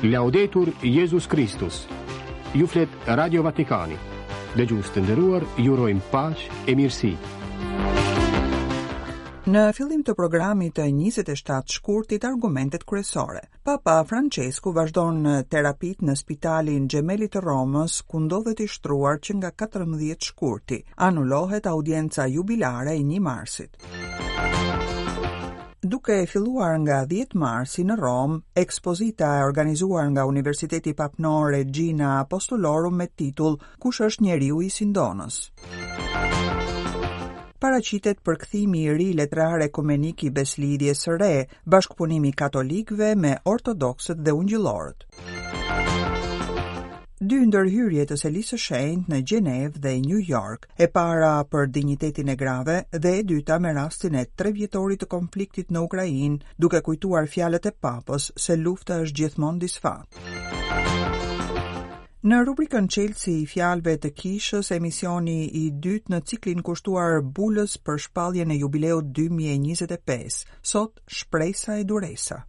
Laudetur Jezus Kristus. Ju flet Radio Vatikani. Dëgjues të nderuar, ju urojmë paqe e mirësi. Në fillim të programit të 27 shkurtit argumentet kryesore. Papa Francesku vazhdon terapitë në spitalin Gemelli të Romës, ku ndodhet i shtruar që nga 14 shkurti. Anulohet audienca jubilare e 1 marsit. Duke filluar nga 10 marsi në Romë, ekspozita e organizuar nga Universiteti Papnor Regina Apostolorum me titull Kush është njeriu i Sindonës? Paraqitet përkthimi i ri letrar ekumenik i Besëlidhjes së Re, bashkëpunimi i katolikëve me ortodoksët dhe ungjillorët. Dy ndërhyrje të Selisë së Shenjtë në Gjenevë dhe New York, e para për dinjitetin e grave dhe e dyta me rastin e trevjetorit të konfliktit në Ukrainë, duke kujtuar fjalët e Papës se lufta është gjithmonë disfatë. Në rubrikën Çelësi i fjalëve të kishës, emisioni i dytë në ciklin kushtuar bulës për shpalljen e jubileut 2025, sot shpresa e duresa.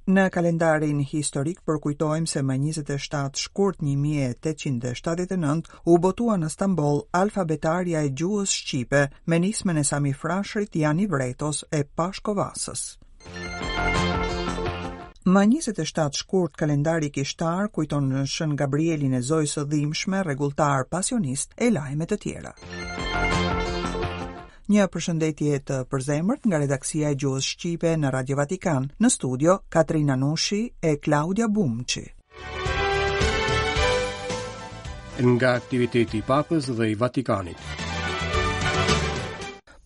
Në kalendarin historik përkujtojmë se më 27 shkurt 1879 u botua në Stamboll alfabetarja e gjuhës shqipe me nismën e Sami Frashërit, Jani Vretos e Pashko Vasës. Më 27 shkurt kalendari kishtar kujton Shën Gabrielin e Zojës së Dhimbshme, rregulltar pasionist e lajme të tjera. Një përshëndetje të përzemërt nga redaksia e gjuhës shqipe në Radio Vatikan. Në studio Katrina Nushi e Klaudia Bumçi. Nga aktiviteti i Papës dhe i Vatikanit.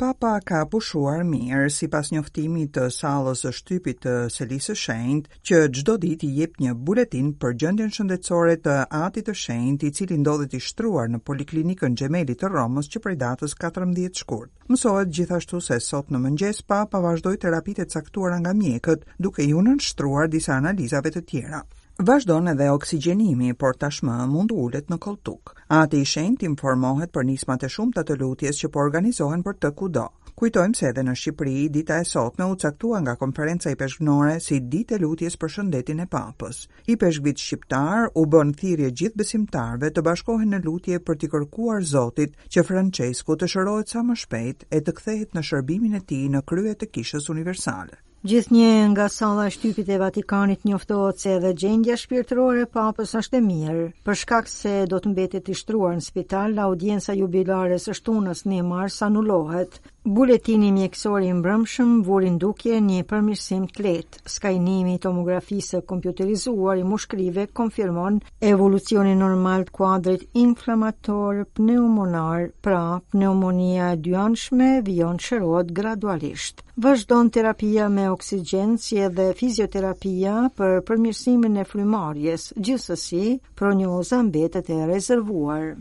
Papa ka pushuar mirë, sipas njoftimit të sallës së shtypit të Selisë së Shenjtë, që çdo ditë i jep një buletin për gjendjen shëndetësore të Atit të Shenjtë, i cili ndodhet i shtruar në Poliklinikën Gemelli të Romës që prej datës 14 shkurt. Mësohet gjithashtu se sot në mëngjes Papa vazhdoi terapitë e caktuara nga mjekët, duke iu nënshtruar disa analizave të tjera. Vazhdon edhe oksigjenimi, por tashmë mund të ulet në kolltuk. Ati i Shenjtë informohet për nismat e shumta të lutjes që po organizohen për të kudo. Kujtojmë se edhe në Shqipëri, dita e sotme u caktua nga Konferenca Ipeshkvnore si ditë e lutjes për shëndetin e Papës. Ipeshkvit shqiptarë u bënë thirrje gjithë besimtarëve të bashkohen në lutje për t'i kërkuar Zotit që Françesku të shërohet sa më shpejt e të kthehet në shërbimin e tij në krye të Kishës Universale. Gjithnjë nga salla e shtypit e Vatikanit njoftohet se edhe gjendja shpirtërore e Papës është e mirë. Për shkak se do të mbetet i shtruar në spital, audienca jubilare e së shtunës 1 mars anulohet. Buletini mjekësor i mbrëmshëm vuri në dukje një përmirësim të lehtë. Skanimi i tomografisë së kompjuterizuar i mushkërive konfirmon Evolucioni normal të kuadrit inflamator pneumonar, pra pneumonia e dyanshme vijon të shërohet gradualisht. Vazhdon terapia me oksigjen si edhe fizioterapia për përmirësimin e frymëmarrjes. Gjithsesi, prognoza mbetet e rezervuar.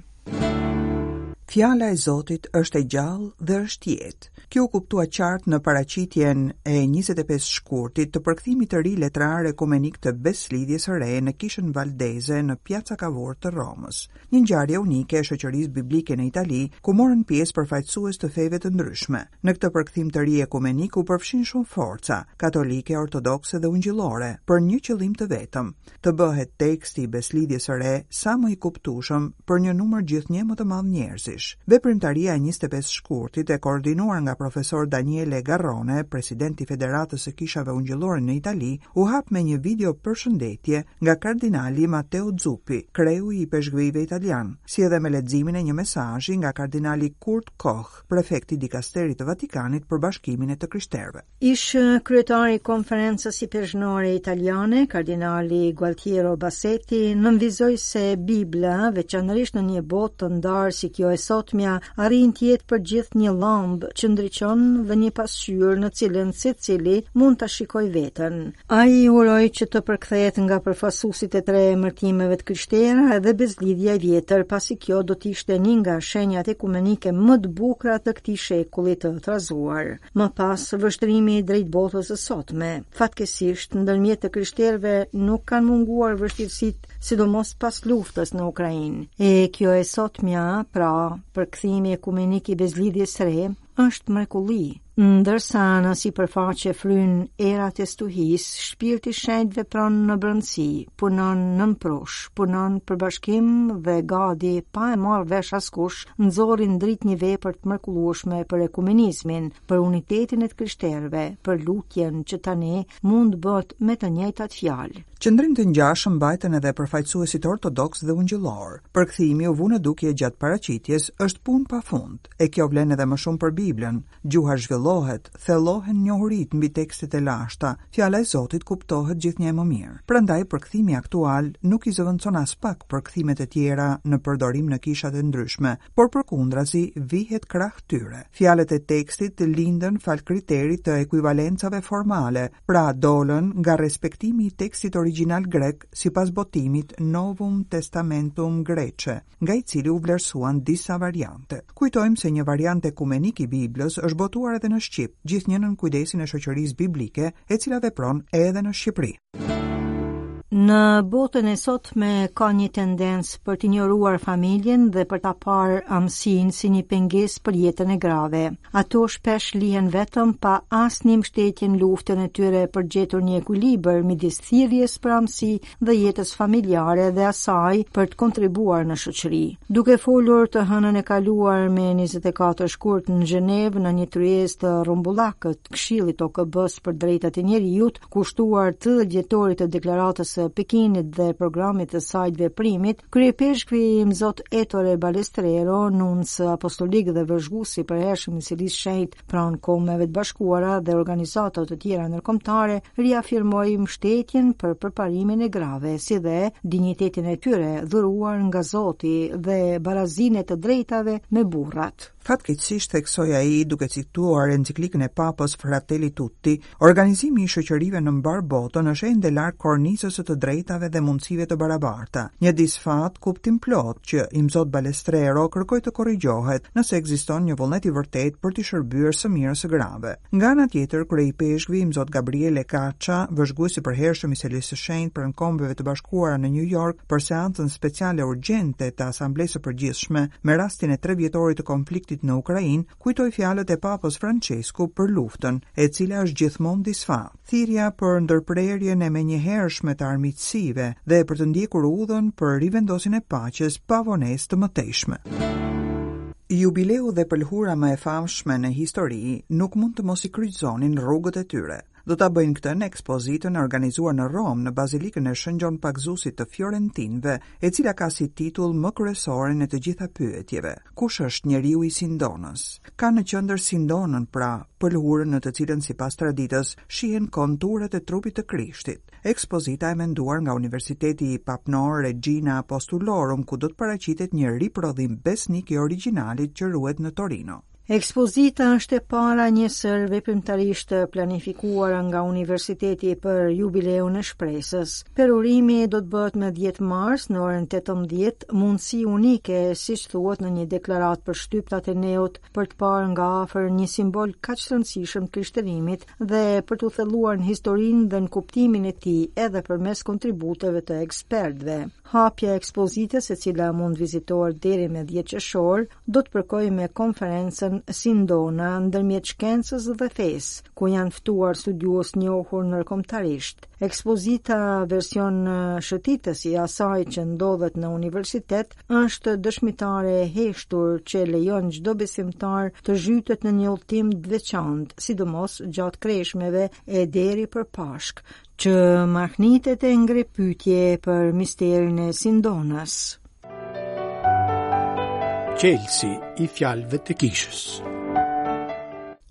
Fjala e Zotit është e gjallë dhe është jetë. Kjo u kuptua qartë në paraqitjen e 25 shkurtit të përkthimit të ri letrar ekumenik të Besëlidhjes së Re në Kishën Valdeze në Piazza Cavour të Romës. Një ngjarje unike e shoqërisë biblike në Itali, ku morën pjesë përfaqësues të feve të ndryshme. Në këtë përkthim të ri ekumenik u përfshinë shumë forca, katolike, ortodokse dhe ungjillore, për një qëllim të vetëm, të bëhet teksti i Besëlidhjes së Re sa më i kuptueshëm për një numër gjithnjë më të madh njerëzish. Veprimtaria e 25 shkurtit, e koordinuar nga profesor Daniele Garrone, president i Federatës së Kishave Ungjillore në Itali, u hap me një video përshëndetje nga kardinali Matteo Zuppi, kreu i ipeshkvijve italianë, si edhe me leximin e një mesazhi nga kardinali Kurt Koch, prefekt i dikasterit të Vatikanit për bashkimin e të krishterëve. Ish kryetari i Konferencës Ipeshkvnore Italiane, kardinali Gualtiero Bassetti, nënvizoi se Bibla, veçanërisht në një botë të ndarë si kjo e sotmja, arrin të jetë për gjithë një llambë që ndriçon dhe një pasqyrë në cilën secili mund ta shikojë veten. Ai uroi që të përkthehet nga përfaqësuesit e tre emërtimeve të krishtera edhe Besëlidhja e Vjetër, pasi kjo do të ishte një nga shenjat ekumenike më të bukura të këtij shekulli të trazuar. Më pas, vështrimi drejt botës së sotme. Fatkeqësisht, ndërmjet të krishterëve nuk kanë munguar vështirësitë, sidomos pas luftës në Ukrainë. E kjo e sotmja, pra, përkthimi ekumenik i Besëlidhjes së Re, është mrekulli. Ndërsa në sipërfaqe fryjnë erat e stuhisë, Shpirti i Shenjtë vepron në brendësi, punon nën prush, punon për bashkim dhe gati pa e marrë vesh askush, nxori në dritë një vepër të mrekullueshme për ekumenizmin, për unitetin e të krishterëve, për lutjen që tani mund të bëhet me të njëjtat fjalë. Qëndrim të ngjashëm mbajtën edhe përfaqësuesit ortodoksë dhe ungjillorë. Përkthimi u vu në dukje gjatë paraqitjes është punë pa fund, e kjo vlen edhe më shumë për Biblën. Gjuha zhvillohet, thellohen njohuritë mbi tekstet e lashta, fjala e Zotit kuptohet gjithnjë e më mirë. Prandaj përkthimi aktual nuk i zëvendëson aspak përkthimet e tjera në përdorim në kishat e ndryshme, por përkundrazi vihet krah tyre. Fjalët e tekstit lindën falë kriterit të ekuivalencave formale, pra dolën nga respektimi i tekstit origjinal grek sipas botimit Novum Testamentum Graece, nga i cili u vlerësuan disa variante. Kujtojmë se një variant ekumenik i Biblës është botuar edhe në shqip, gjithnjë nën kujdesin e Shoqërisë Biblike, e cila vepron edhe në Shqipëri. Në botën e sotme ka një tendencë për të injoruar familjen dhe për ta parë amësinë si një pengesë për jetën e grave. Ato shpesh lihen vetëm pa asnjë mbështetje në luftën e tyre për të gjetur një ekuilibër midis thirrjes për amësi dhe jetës familjare dhe asaj për të kontribuar në shoqëri. Duke folur të hënën e kaluar me 24 shkurt në Gjenevë në një tryezë të rrumbullakët, Këshillit të OKB-së për Drejtat e Njeriut, kushtuar 30 vjetorit të Deklaratës së Pekinit dhe programit të saj të veprimit, kryeipeshkvi Imzot Ettore Balestrero, nunc apostolik dhe vëzhgues i përhershëm i Selisë së Shenjtë pranë Kombeve të Bashkuara dhe organizatave të tjera ndërkombëtare, riafirmoi mbështetjen për përparimin e grave, si dhe dinjitetin e tyre dhuruar nga Zoti dhe barazinë e të drejtave me burrat. Fatkeqësisht, theksoi ai duke cituar enciklikën e Papës Fratelli Tutti, organizimi i shoqërive në mbarë botën është ende larg kornizës së të drejtave dhe mundësive të barabarta. Një disfatë kuptimplotë që Imzot Balestrero kërkoi të korrigjohet nëse ekziston një vullnet i vërtetë për t'i shërbyer së mirës së grave. Nga ana tjetër, kryeipeshkvi Imzot Gabriele Caccia, vëzhgues i përhershëm i Selisë së Shenjtë pranë Kombeve të Bashkuara në New York për seancën speciale urgjente të Asamblesë së Përgjithshme me rastin e trevjetorit të konfliktit në Ukrainë, kujtoi fjalët e Papës Françesku për luftën, e cila është gjithmonë disfatë. Thirrja për ndërprerjen e menjëhershme të armiqësive dhe për të ndjekur udhën për rivendosjen e paqes pa vonesë të mëtejshme. Jubileu dhe pëlhura më e famshme në histori nuk mund të mos i kryqëzonin rrugët e tyre. Do ta bëjnë këtë në ekspozitën e organizuar në Romë, në Bazilikën e Shën Gjon Pagëzuesit të Fiorentinëve, e cila ka si titull më kryesoren e të gjitha pyetjeve, Kush është njeriu i Sindonës? Ka në qendër Sindonën, pra, pëlhurën në të cilën sipas traditës shihen konturet e trupit të Krishtit. Ekspozita e menduar nga Universiteti Papnor Regina Apostolorum, ku do të paraqitet një riprodhim besnik i origjinalit që ruhet në Torino. Ekspozita është e para e një sërë veprimtarish të planifikuara nga Universiteti për Jubileun e Shpresës. Përurimi do të bëhet më 10 mars në orën 18, mundësi unike, siç thuhet në një deklaratë për shtyp të Ateneut, për të parë nga afër një simbol kaq të rëndësishëm të krishterimit dhe për t'u thelluar në historinë dhe në kuptimin e tij edhe përmes kontributeve të ekspertëve. Hapja e ekspozitës, e cila mund të vizitohet deri më 10 qershor, do të përkojë me konferencën Sindona ndërmjet shkencës dhe fesë, ku janë ftuar studiues të njohur ndërkombëtarisht. Ekspozita version shëtitës i asaj që ndodhet në universitet është dëshmitare e heshtur që lejon çdo besimtar të zhytet në një udhëtim të veçantë, sidomos gjatë kreshmeve e deri për Pashkë, që mahnitet e ngre pyetje për misterin e Sindonës. Çelësi i fjalëve të kishës.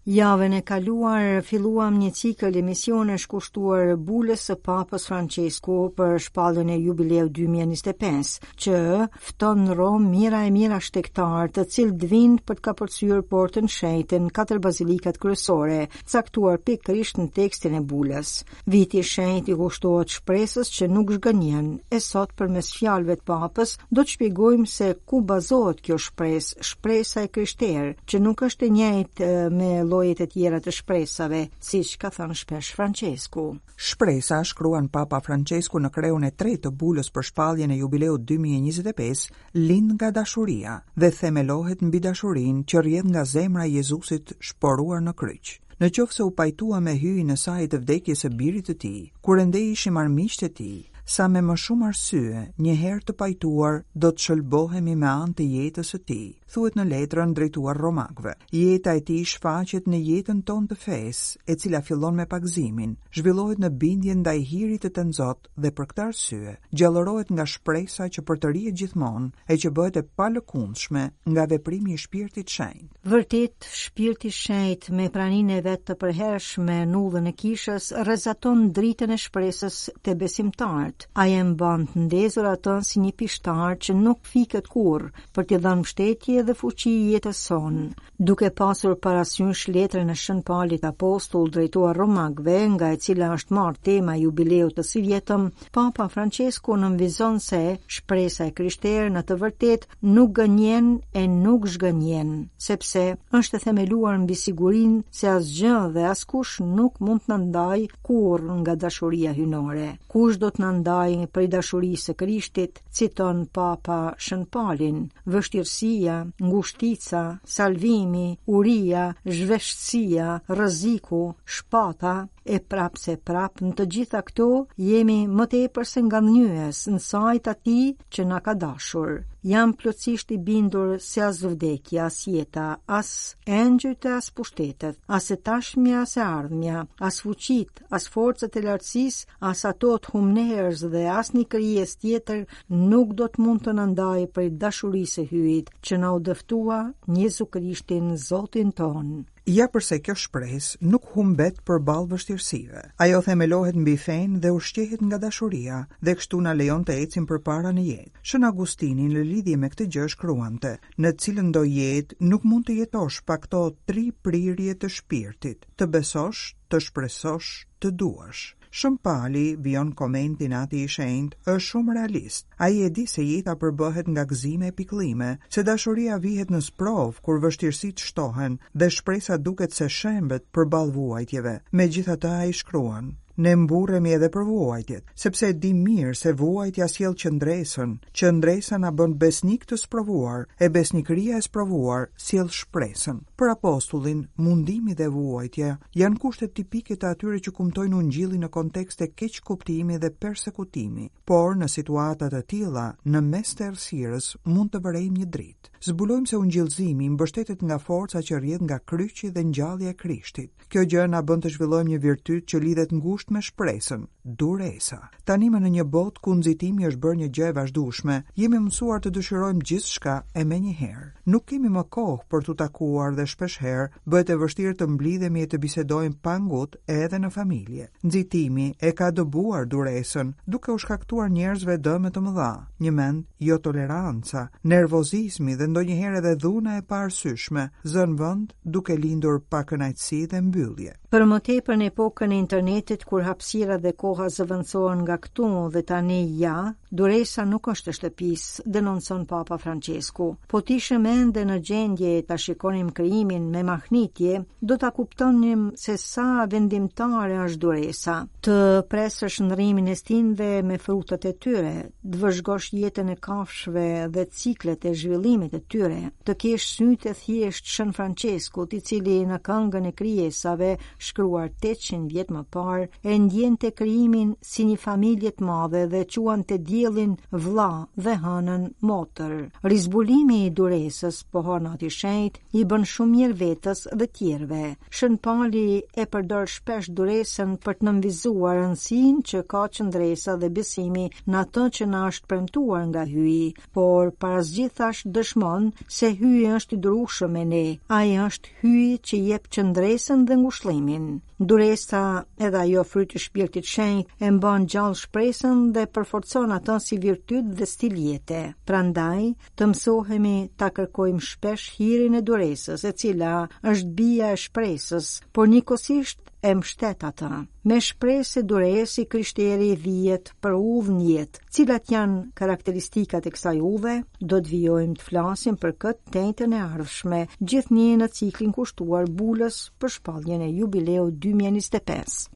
Javën e kaluar filluam një cikël emisionesh kushtuar bulës së Papës Françesku për shpalljen e jubileut 2025, që fton në Romë mijëra e mijëra shtegtarë të cilët vijnë për të kapërcyer portën e shenjtë në katër bazilikat kryesore, caktuar pikërisht në tekstin e bulës. Viti i shenjtë i kushtohet shpresës që nuk zhgënjen, e sot përmes fjalëve të Papës do të shpjegojmë se ku bazohet kjo shpresë, shpresa e krishterë, që nuk është e njëjtë me llojet e tjera të shpresave, siç ka thënë shpesh Françesku. Shpresa, shkruan Papa Françesku në kreun e tretë të bulës për shpalljen e jubileut 2025, lind nga dashuria dhe themelohet mbi dashurinë që rrjedh nga zemra e Jezusit shporuar në kryq. Në qoftë se u pajtuam me Hyjin në saje të vdekjes së Birit të Tij, kur ende ishim armiqtë e Tij, sa me më shumë arsye, një herë të pajtuar, do të shëlbohemi me anë të jetës së Tij, thuhet në letrën drejtuar Romakëve. Jeta e Tij shfaqet në jetën tonë të fesë, e cila fillon me pagëzimin, zhvillohet në bindjen ndaj hirit të Tënzot dhe për këtë arsye, gjallërohet nga shpresa që përtërihet gjithmonë e që bëhet e palëkundshme nga veprimi i Shpirtit Shenjt. Vërtet, Shpirti Shenjt me praninë e vet të përhershme në udhën e kishës rrezaton dritën e shpresës te besimtarët. Ai e mban të ndezur atë si një pishtar që nuk fiket kurrë për t'i dhënë mbështetje dhe fuqi jetës sonë. Duke pasur parasysh letrën e Shën Palit Apostull drejtuar Romakëve, nga e cila është marrë tema e jubileut të sivjetëm, Papa Françesku nënvizon se shpresa e krishterë në të vërtetë nuk gënjen e nuk zhgënjen, sepse është e themeluar mbi sigurinë se asgjë dhe askush nuk mund të na ndajë kurrë nga dashuria hyjnore. Kush do të na ndajë prej dashurisë së Krishtit, citon Papa Shën Palin, vështirësia, ngushtica, salvimi, uria, zhveshtësia, rreziku, shpata, E prapë se prapë në të gjitha këto jemi më tepër se ngadhënjyes në sajë të atij që na ka dashur. Jam plotësisht i bindur se as vdekja, as jeta, as engjëjt e as pushtetet, as e tashmja, as e ardhmja, as fuqitë, as forcat e lartësisë, as ato të humnerës dhe asnjë krijesë tjetër nuk do të mund të na ndajë prej dashurisë së Hyjit që na u dëftua në Jezu Krishtin Zotin tonë. Ja përse kjo shpresë nuk humbet përballë vështirësive. Ajo themelohet mbi fenë dhe ushqehet nga dashuria dhe kështu na lejon të ecim përpara në jetë. Shën Agustini në lidhje me këtë gjë shkruante, Në cilëndo jetë nuk mund të jetosh pa këto tri prirje të shpirtit, të besosh, të shpresosh, të duash. Shën Pali, vijon komentin Ati i Shenjtë, është shumë realist. Ai e di se jeta përbëhet nga gëzime e pikëllime, se dashuria vihet në sprovë kur vështirësitë shtohen dhe shpresa duket se shembet përballë vuajtjeve. Megjithatë ai shkruan, Ne mburremi edhe për vuajtjet, sepse e dimë mirë se vuajtja sjell qëndresën, qëndresa na bën besnikë të sprovuar, e besnikëria e sprovuar sjell shpresën. Për apostullin, mundimi dhe vuajtja janë kushtet tipike të atyre që kumtojnë Ungjillin në kontekste keqkuptimi dhe persekutimi. Por, në situata të tilla, në mes të errësirës mund të vërejmë një dritë. Zbulojmë se ungjillëzimi mbështetet nga forca që rrjedh nga kryqi dhe ngjallja e Krishtit. Kjo gjë na bën të zhvillojmë një virtyt që lidhet ngushtë me shpresën, duresa. Tanimë në një botë ku nxitimi është bërë një gjë e vazhdueshme, jemi mësuar të dëshirojmë gjithçka e menjëherë. Nuk kemi më kohë për t'u takuar dhe shpeshherë bëhet e vështirë të mblidhemi e të bisedojmë pa ngut edhe në familje. Nxitimi e ka dëbuar duresën, duke u shkaktuar njerëzve dëme të mëdha, njëmend jotoleranca, nervozizmi dhe ndonjëherë edhe dhuna e paarsyeshme zënë vend duke lindur pakënaqësi dhe mbyllje. Për më tepër në epokën e internetit kur hapësira dhe koha zëvendësohen nga këtu dhe tani ja, duresa nuk është e shtëpisë, denoncon Papa Françesku. Po të ishim ende në gjendje ta shikonim krijimin me mahnitje, do ta kuptonim se sa vendimtare është duresa. Të presësh ndërrimin e stinëve me frutat e tyre, të vëzhgosh jetën e kafshëve dhe ciklet e zhvillimit të tyre, të kesh sytë e thjeshtë të Shën Françeskut, i cili në këngën e krijesave, shkruar 800 vjet më parë, e ndjente krijimin si një familje të madhe dhe quante diellin vëlla dhe hënën motër. Rizbulimi i duresës, pohon Ati i Shenjtë, i bën shumë mirë vetes dhe tjerëve. Shën Pali e përdor shpesh duresën për të nënvizuar rëndësinë që ka qëndresa dhe besimi në atë që na është premtuar nga Hyji, por para së gjithash dëshmon se Hyji është i durueshëm me ne. Ai është Hyji që jep qëndresën dhe ngushëllimin. Duresa, edhe ajo fryt i shpirtit shenjt, e mban gjallë shpresën dhe përforcon atë si virtyt dhe stil jete. Prandaj, të mësohemi ta kërkojmë shpesh hirin e duresës, e cila është bija e shpresës, por njëkohësisht e mbështet atë. Me shpresë e duresë i krishteri vihet për udhë në jetë. Cilat janë karakteristikat e kësaj udhe? Do të vijojmë të flasim për këtë të enjten e ardhshme, gjithnjë në ciklin kushtuar bulës për shpalljen e jubileut 2025.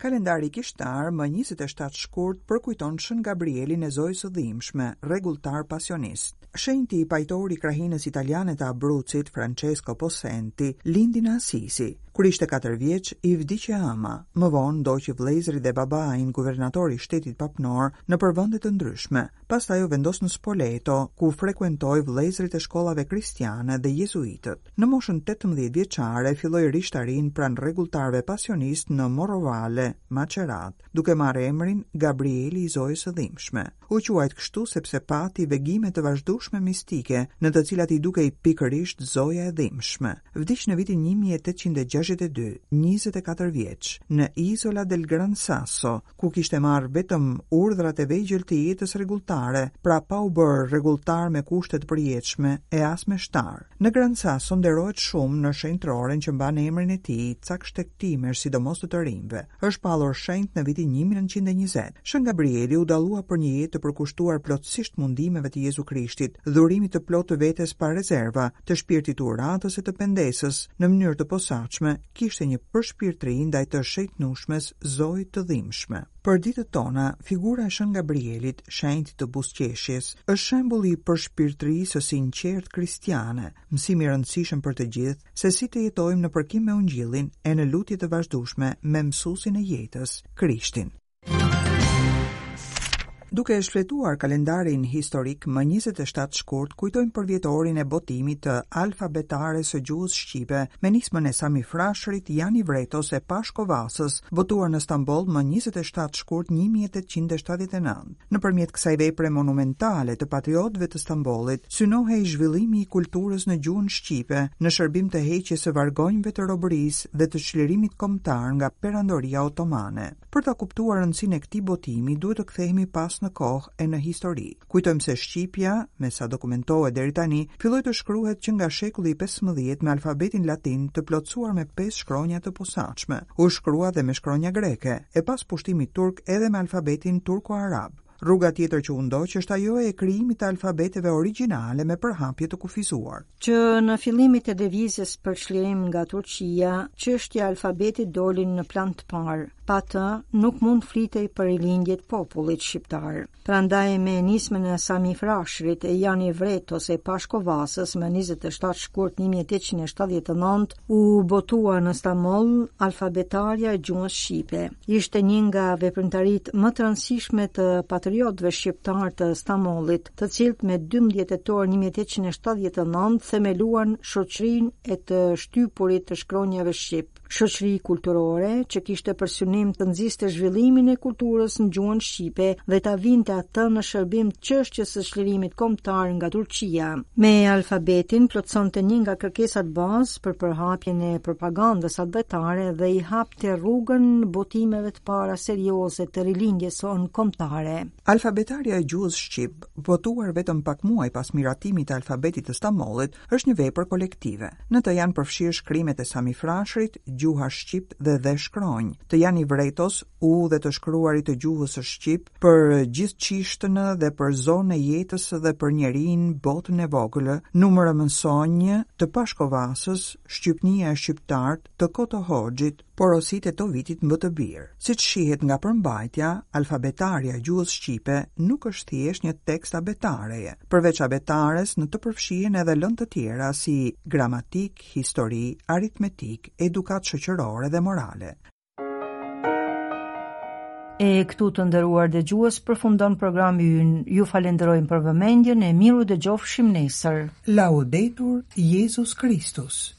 Kalendari kishtar më 27 shkurt përkujton Shën Gabrielin e Zojës së Dhimbshme, rregulltar pasionist. Shenjti pajtor i krahinës italiane të Abrucit, Francesco Possenti, lindi në Asisi. Kur ishte 4 vjeç, i vdiq e ëma. Më vonë ndoqi vëllezërit dhe babain, guvernator i shtetit papnor, nëpër vende të ndryshme. Pastaj u vendos në Spoleto, ku frekuentoi vëllezërit e shkollave kristiane dhe jezuitët. Në moshën 18 vjeçare filloi rishtarinë pranë rregulltarëve pasionistë në Morrovale, Macerat, duke marrë emrin Gabrieli i Zojës së Dhimbshme. U quajt kështu sepse pati vegime të vazhdueshme mistike, në të cilat i dukej pikërisht Zoja e Dhimbshme. Vdiq në vitin 1862, 24 vjeç, në Isola del Gran Sasso, ku kishte marrë vetëm urdhrat e vegjël të jetës rregulltare, pra pa u bërë rregulltar me kushte të përjetshme e as meshtar. Në Gran Sasso nderohet shumë në shenjtëroren që mban emrin e tij, cak shtegtimesh, sidomos të të rinjve. Është shpallur shenjt në vitin 1920. Shën Gabrieli u dallua për një jetë të përkushtuar plotësisht mundimeve të Jezu Krishtit, dhurimit të plotë të vetes pa rezerva, të shpirtit të uratës e të pendesës, në mënyrë të posaçme, kishte një përshpirtëri ndaj të shenjtnushmes Zojë të Dhimbshme. Për ditët tona, figura e Shën Gabrielit, shenjtit të buzëqeshjes, është shembulli i përshpirtërisë së sinqertë kristiane, mësim i rëndësishëm për të gjithë, se si të jetojmë në përkim me Ungjillin e në lutje të vazhdueshme me mësuesin e jetës, Krishtin. Duke e shfletuar kalendarin historik më 27 shkurt kujtojmë përvjetorin e botimit të Alfabetares së gjuhës shqipe me nismën e Sami Frashërit, Jani Vretos e Pashko Vasës, botuar në Stamboll më 27 shkurt 1879. Nëpërmjet kësaj vepre monumentale të patriotëve të Stambollit, synohej zhvillimi i kulturës në gjuhën shqipe në shërbim të heqjes së vargonjve të robërisë dhe të çlirimit kombëtar nga Perandoria Otomane. Për ta kuptuar rëndësinë e këtij botimi, duhet të kthehemi pas në kohë e në histori. Kujtojmë se shqipja, me sa dokumentohet deri tani, filloi të shkruhet që nga shekulli i 15 me alfabetin latin të plotësuar me pesë shkronja të posaçme. U shkrua dhe me shkronja greke, e pas pushtimit turk edhe me alfabetin turko-arab. Rruga tjetër që u ndoq është ajo e krijimit të alfabeteve origjinale me përhapje të kufizuar. Që në fillimet e lëvizjes për çlirim nga Turqia, çështja e alfabetit doli në plan të parë. Pa të, nuk mund të flitej për rilindje të popullit shqiptar. Prandaj me nismën e Sami Frashërit e Jani Vretos e Pashko Vasës më 27 shkurt 1879 u botua në Stamboll alfabetarja e gjuhës shqipe. Ishte një nga veprimtaritë më të rëndësishme të patriotëve shqiptarë të Stambollit, të cilët me 12 tetor 1879 themeluan shoqërinë e të shtypurit të shkronjave shqip, shoqëri kulturore që kishte për synim të nxiste zhvillimin e kulturës në gjuhën shqipe dhe ta vinte atë në shërbim të çështjes së çlirimit kombëtar nga Turqia. Me alfabetin plotësonte një nga kërkesat bazë për përhapjen e propagandës atdhetare dhe i hapte rrugën botimeve të para serioze të rilindjes sonë kombëtare. Alfabetarja e gjuhës shqip, botuar vetëm pak muaj pas miratimit të alfabetit të Stambollit, është një vepër kolektive. Në të janë përfshirë shkrimet e Sami Frashërit, Gjuha shqip dhe dhe shkronjë, të Jani Vretos, U dhe të shkruarit të gjuhës së shqip, për gjithëçishtënë dhe për zonë e jetës dhe për njerinë, botën e vogël, numër e mësonjë, të Pashko Vasës, Shqypnia e shqiptart, të Koto Hoxhit, porositë e Tovitit mbë të bir. Siç shihet nga përmbajtja, alfabetarja e gjuhës shqipe nuk është thjesht një tekst abetareje. Përveç abetares, në të përfshihen edhe lëndë të tjera si gramatikë, histori, aritmetikë, edukatë shoqërore dhe morale. E këtu të nderuar dëgjues përfundon programi ynë. Ju falenderojmë për vëmendjen e mirudëgjofshim nesër. Laudetur Jezus Kristus.